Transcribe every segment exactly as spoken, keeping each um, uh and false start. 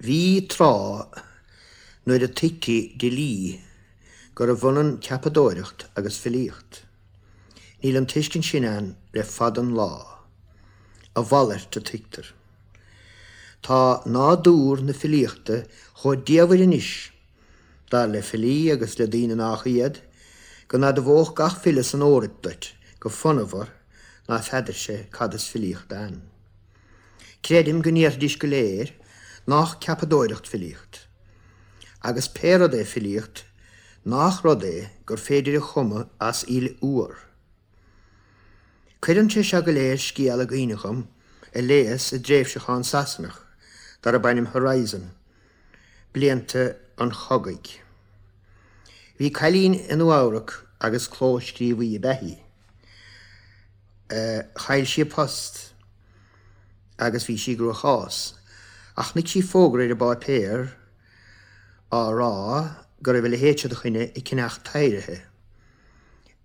Bhí tráth nuair a tuigtí de shlí gurbh ionann ceapadóireacht agus filíocht. Níl an tuiscint sin ann le fada an lá, a mhalairt a tuigtear. Tá nádúr na filíochta chomh diamhair anois, dar le filí agus le daoine nach iad, go n-admhódh gach file san Eoraip duit go fonnmhar ná feadar sé cad is filíocht ann. Creidim go ndéarfaidís go léir nach ceapadóireacht filíocht. Agus pé rud é filíocht, nach rud é gur féidir a chumadh as aol úr. Cuireann sé seo go léir scéal i gcuimhne dhom a léas i dtréimhseachán Sasanach darb ainm Horizon, blianta an chogaidh. Bhí cailín i Nua-Eabhrac agus clóscríobhaí ab ea í. Chaill sí a post agus bhí sí i gcruachás, ach chonaic sí fógra ar an bpáipéar á rá go raibh a leithéid seo de dhuine ag ceannach taidhrithe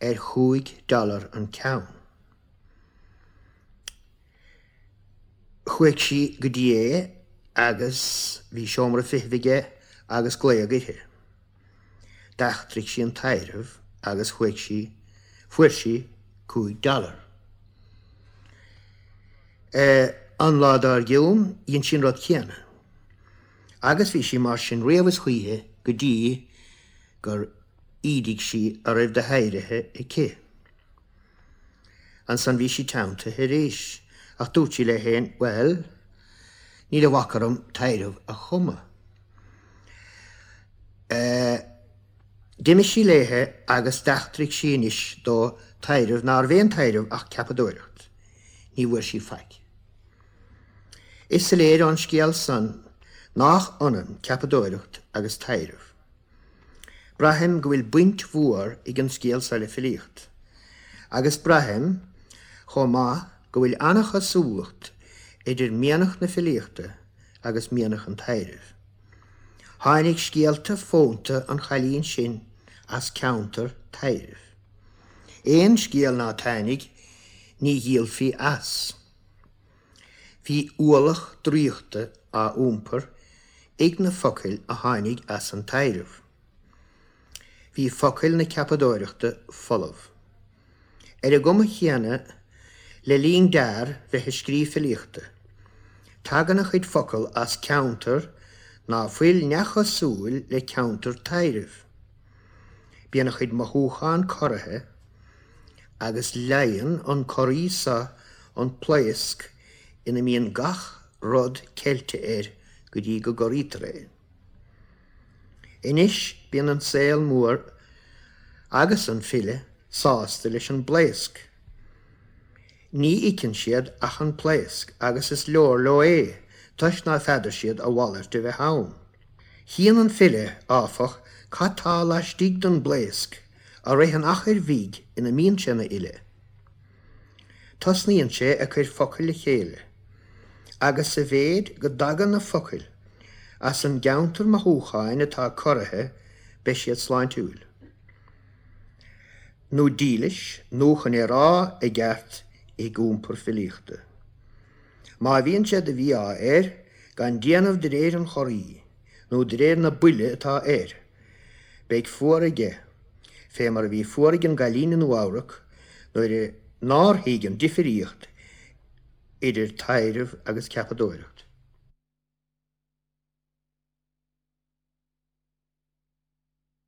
ar chúig dollar an ceann. Chuaigh sí go dtí é agus bhí seomra feithimh aige agus glaodh uirthi. D'eachtraigh sí an taidhreamh agus chuaigh sí, fuair sí cúig dollar. An lá dár gcionn, dhein sí an rud céanna. Agus bhí sí mar sin riamh is choíche go dtí gur ídigh sí a raibh de thaidhrithe aici. Ansan bhí sí teanntaithe arís, ach dúirt sí léi féin, bhuel, níl a bhac orm taidhreamh a chumadh. D'imigh sí léithe agus d'eachtraigh sí anois dó taidhreamh nárbh aon taidhreamh ach ceapadóireacht. Ní bhfuair sí faic. Is soiléir ón scéal san nach ionann ceapadóireacht agus taidhreamh. Braithim go bhfuil baint mhór ag an scéal seo le filíocht, agus braithim chomh maith go bhfuil an-chosúlacht idir mianach na filíochta agus mianach an taidhrimh. Tháinig scéalta fónta an chailín sin as ceantar taidhrimh. Aon scéal ná táinig ní dhíolfaí as. Bhí ualach draíochta á iompar ag na focail a tháinig as an taidhreamh. Bhí focail na ceapadóireachta folamh. Ar an gcuma chéanna, le linn d'fhear bheith ag scríobh filíochta, tagann a chuid focal as ceantar ná fuil neamhchosúil le ceantar taidhrimh. Bíonn a chuid mothúchán corraithe agus leigheann an corraí seo an phlaosc ina mbíonn gach rud ceilte air go dtí go gcorraítear é. Anois bíonn an saol mór agus an file sásta leis an bplaosc. Ní fheiceann siad ach an phlaosc agus is leor leo é, toisc ná feadar siad a mhalairt a bheith ann. Chíonn an file, áfach, cad tá laistigh den bplaosc i rith an achair bhig ina mbíonn sé ina fhile. Tosnaíonn sé ag cur focail le chéile, agus sa mhéid go dtagann na focail as an gceantar mothúcháin atá corraithe, beidh siad sláintiúil. Nó dílis, nó chun é a rá i gceart, ag iompar filíochta. Má bhíonn sé de mhí-ádh air gan déanamh de réir an chorraí, nó de réir na buile atá air, beidh fuar aige, fé mar a bhí fuar ag an gcailín i Nua-Eabhrac nuair nár thuig an difríocht idir taidhreamh agus ceapadóireacht.